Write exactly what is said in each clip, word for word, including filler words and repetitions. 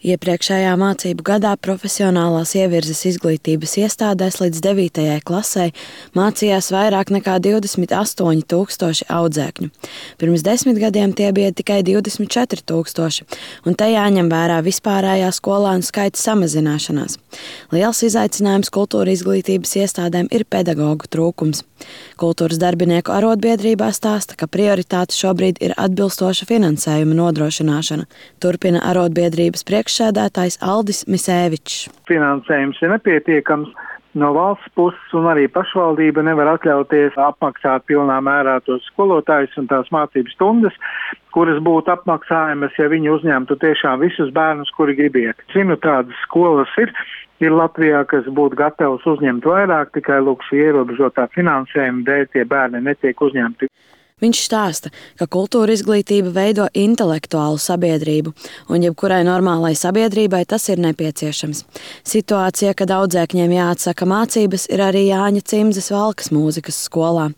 Iepriekšējā mācību gadā profesionālās ievirzes izglītības iestādēs līdz devītajai klasei mācījās vairāk nekā divdesmit astoņi tūkstoši audzēkņu. Pirms desmit gadiem tie bija tikai divdesmit četri tūkstoši, un te jāņem vērā vispārējā skolēnu skaita samazināšanās. Liels izaicinājums kultūra izglītības iestādēm ir pedagogu trūkums. Kultūras darbinieku arotbiedrībā stāsta, ka prioritāte šobrīd ir atbilstoša finansējuma nodrošināšana. Turpina arotbiedrības priekšsēdētājs Aldis Misēvičs. Finansējums ir nepietiekams no valsts puses, un arī pašvaldība nevar atļauties apmaksāt pilnā mērā tos skolotājus un tās mācības stundas, kuras būtu apmaksājamas, ja viņi uzņemtu tiešām visus bērnus, kuri grib iet. Zinu, tādas skolas ir. Ir Latvijā, kas būtu gatavs uzņemt vairāk, tikai lūk šī ierobežotā finansējuma dēļ tie bērni netiek uzņemti. Viņš stāsta, ka kultūra izglītība veido intelektuālu sabiedrību, un jebkurai normālai sabiedrībai tas ir nepieciešams. Situācija, kad audzēkņiem jāatsaka mācības, ir arī Jāņa Cimzes Valkas mūzikas skolā.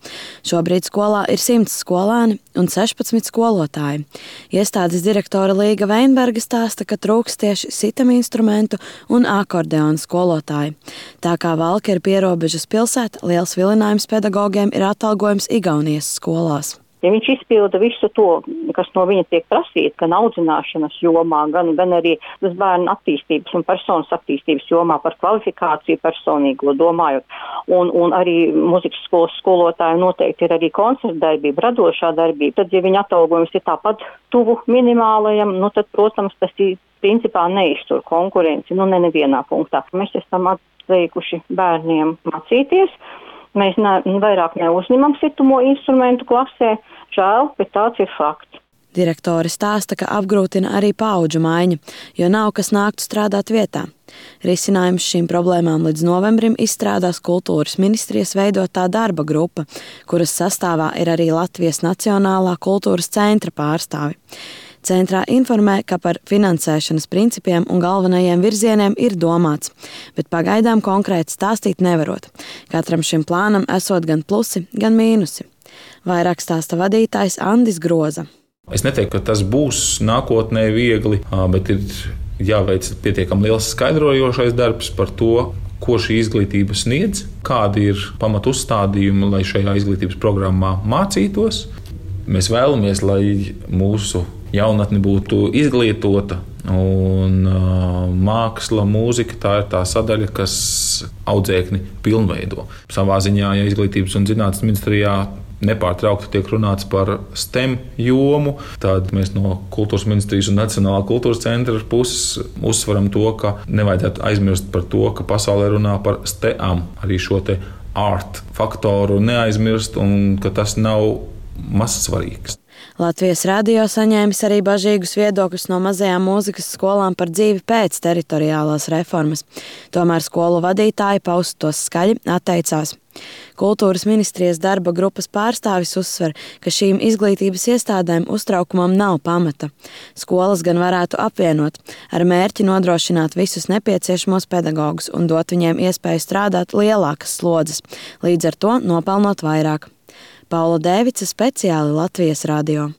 Šobrīd skolā ir simts skolēni un sešpadsmit skolotāji. Iestādes direktore Līga Veinberga stāsta, ka trūks tieši sitaminstrumentu un akordeona skolotāji. Tā kā Valka ir pierobežas pilsēta, liels vilinājums pedagogiem ir atalgojums Igaunijas skolās. Ja viņš izpilda visu to, kas no viņa tiek prasīts, gan audzināšanas jomā, gan, gan arī tas bērnu attīstības un personas attīstības jomā par kvalifikāciju personīgo domājot, un, un arī muzikas skolas skolotāju noteikti ir arī koncerta darbība, radošā darbība, tad, ja viņa atalgojums ir tāpat tuvu minimālajam, nu tad, protams, tas ir principā neiztur konkurenci, nu ne nevienā punktā. Mēs esam atteikuši bērniem mācīties. Mēs ne, vairāk neuzņemam situmo instrumentu klasē, žēl, bet tāds ir fakts. Direktore stāsta, ka apgrūtina arī paudžu maiņa, jo nav kas nāktu strādāt vietā. Risinājums šīm problēmām līdz novembrim izstrādās kultūras ministrijas veidotā darba grupa, kuras sastāvā ir arī Latvijas Nacionālā kultūras centra pārstāvi. Centrā informē, ka par finansēšanas principiem un galvenajiem virzieniem ir domāts, bet pagaidām konkrēti stāstīt nevarot. Katram šim plānam esot gan plusi, gan mīnusi. Vairāk stāsta vadītājs Andis Groza. Es neteiktu, ka tas būs nākotnē viegli, bet ir jāveic pietiekami liels skaidrojošais darbs par to, ko šī izglītība sniedz, kādi ir pamatu uzstādījumi, lai šajā izglītības programmā mācītos. Mēs vēlamies, lai mūsu jaunatne būtu izglītota, un uh, māksla, mūzika, tā ir tā sadaļa, kas audzēkni pilnveido. Savā ziņā, ja izglītības un zinātnes ministrijā nepārtraukti tiek runāts par STEM jomu, tad mēs no kultūras ministrijas un Nacionālā kultūras centra puses uzsveram to, ka nevajadzētu aizmirst par to, ka pasaulē runā par STEAM, arī šo te art faktoru neaizmirst, un ka tas nav maz svarīgs. Latvijas radio saņēmis arī bažīgus viedokļus no mazajām mūzikas skolām par dzīvi pēc teritoriālās reformas. Tomēr skolu vadītāji paust tos skaļi atteicās. Kultūras ministrijas darba grupas pārstāvis uzsver, ka šīm izglītības iestādēm uztraukumam nav pamata. Skolas gan varētu apvienot ar mērķi nodrošināt visus nepieciešamos pedagogus un dot viņiem iespēju strādāt lielākas slodzes, līdz ar to nopelnot vairāk. Paula Dēvica, speciāli Latvijas radio.